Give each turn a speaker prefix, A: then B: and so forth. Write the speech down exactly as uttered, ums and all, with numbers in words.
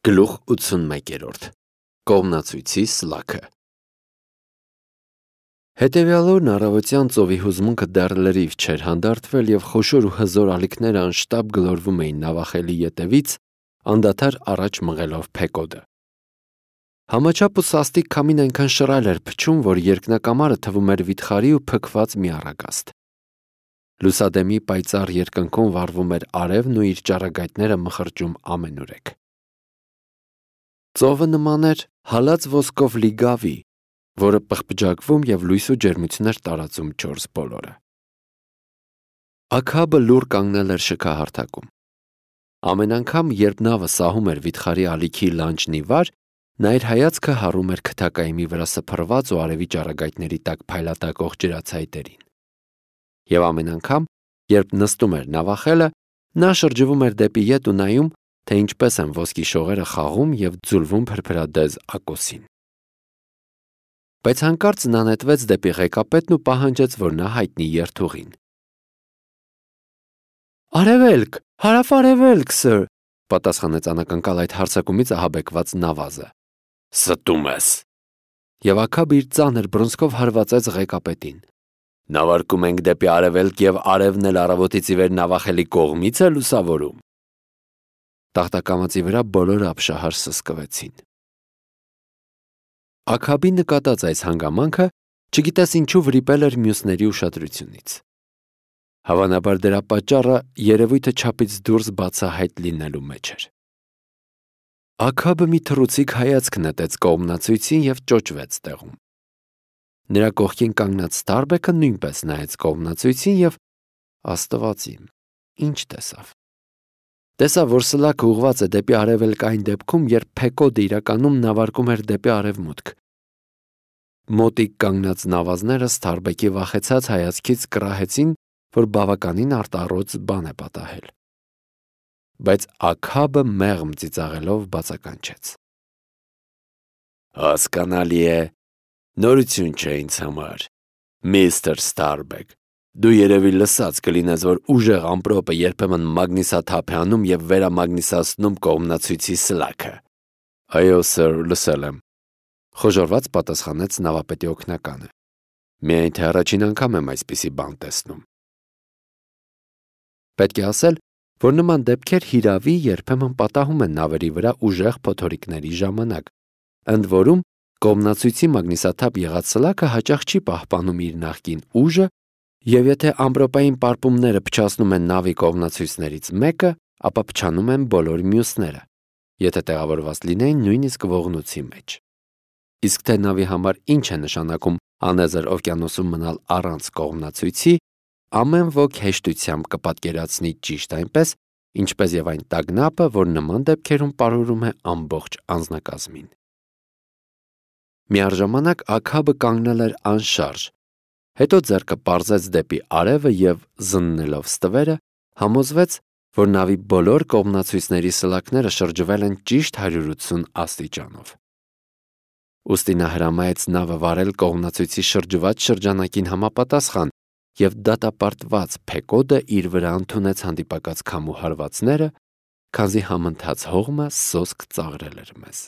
A: Գլուխ ութսունմեկերորդ Կողմնացույցի սլաքը Հետևյալ օրն առավոտյան ծովի հուզմունքը դեռ լրիվ չէր հանդարտվել և խոշոր ու հզոր ալիքները անշտապ գլորվում էին նավախելի ետևից, անդադար առաջ մղելով փեկոդը։ Համաչափ ու սաստիկ քամին այնքան շռայլ էր փչում, որ երկնակամարը թվում էր վիթխարի ու փքված մի առագաստ։ Լուսադեմի պայծառ երկնքում վառվում էր արևն ու իր ճառագայթները մխրճում ամենուրեք։ Ծովը նման էր հալած ոսկով լի գավի, որը պղպջակվում և լույս ու ջերմություն էր տարածում չորս բոլորը։ Աքաբը լուռ կանգնել էր շքահարթակում։ Ամեն անգամ, երբ նավը սահում էր վիթխարի ալիքի լանջն ի վար, նա իր հայացքը հառում էր քթակայմի վրա սփռված ու արևի ճառագայթների տակ փայլատակող ջրացայտերին։ Եվ ամեն անգամ, երբ նստում էր նավախելը, նա շրջվում էր դեպի ետ ու նայում, թե ինչպես են ոսկի շողերը խաղում և ձուլվում փրփրադեզ ակոսին։ Բայց հանկարծ նա նետվեց դեպի ղեկապետն ու պահանջեց, որ նա հայտնի երթուղին։ «Արևելք, հարավ-արևելք, սըր», պատասխանեց անակնկալ այդ հարձակումից ահաբեկված նավազը։ «Ստում ես»։ Եվ Աքաբը իր ծանր բռունցքով հարվածեց ղեկապետին։ «Նավարկում ենք դեպի արևելք և արևն էլ առավոտից ի վեր նավախելի կողմից է լուսավորում»։ Տախտակամածի վրա բոլորը ապշահար սսկվեցին։ Աքաբի նկատած այս հանգամանքը, չգիտես ինչու, վրիպել էր մյուսների ուշադրությունից։ Հավանաբար դրա պատճառը երևույթը չափից դուրս բացահայտ լինելու մեջ էր։ Աքաբը մի թռուցիկ հայացք նետեց կողմնացույցին և ճոճվեց տեղում։ Նրա կողքին կանգնած Սթարբեքը նույնպես նայեց կողմնացույցին և, Աստված իմ, ինչ տեսավ։ Տեսավ, որ սլաքը ուղղված է դեպի արևելք այն դեպքում, երբ փեկոդը իրականում նավարկում էր դեպի արևմուտք։ Մոտիկ կանգնած նավազները Սթարբեկի վախեցած հայացքից կռահեցին, որ բավականին արտառոց բան է պատահել։ Բայց Աքաբը մեղմ ծիծաղելով բացականչեց. «Հասկանալի է, նորություն չէ ինձ համար, միստր Սթարբեք, դու երևի լսած կլինես, որ ուժեղ ամպրոպը երբեմն մագնիսաթափ է անում և վերամագնիսացնում կողմնացույցի սլաքը»։ «Այո, սըր, լսել եմ», խոժոռված պատասխանեց նավապետի օգնականը։ «Միայն թե առաջին անգամ եմ այսպիսի բան տեսնում»։ Պետք է ասել, որ նման դեպքեր հիրավի երբեմն պատահում են նավերի վրա ուժեղ փոթորիկների ժամանակ, ընդ որում կողմնացույցի մագնիսաթափ եղած սլաքը հաճախ չի պահպանում իր նախկին ուժը, և եթե ամպրոպային պարպումները փչացնում են նավի կողմնացույցներից մեկը, ապա փչանում են բոլոր մյուսները, եթե տեղավորված լինեին նույնիսկ ողնույցի մեջ։ Իսկ թե նավի համար ինչ է նշանակում անեզր օվկիանոսում մնալ առանց կողմնացույցի, ամեն ոք հեշտությամբ կպատկերացնի ճիշտ այնպես, ինչպես և այն տագնապը, որ նման դեպքերում պարուրում է ամբողջ անձնակազմին։ Միառժամանակ Աքաբը կանգնել էր անշարժ, հետո ձեռքը պարզեց դեպի արևը և, զննելով ստվերը, համոզվեց, որ նավի բոլոր կողմնացույցների սլաքները շրջվել են ճիշտ հարյուր ութսուն աստիճանով։ Ուստի նա հրամայեց նավը վարել կողմնացույցի շրջված շրջանակին համապատասխան և դատապարտված փեկոդը իր վրա ընդունեց հանդիպակաց քամու հարվածները, քանզի համընթաց հողմը սոսկ ծաղրել էր մեզ։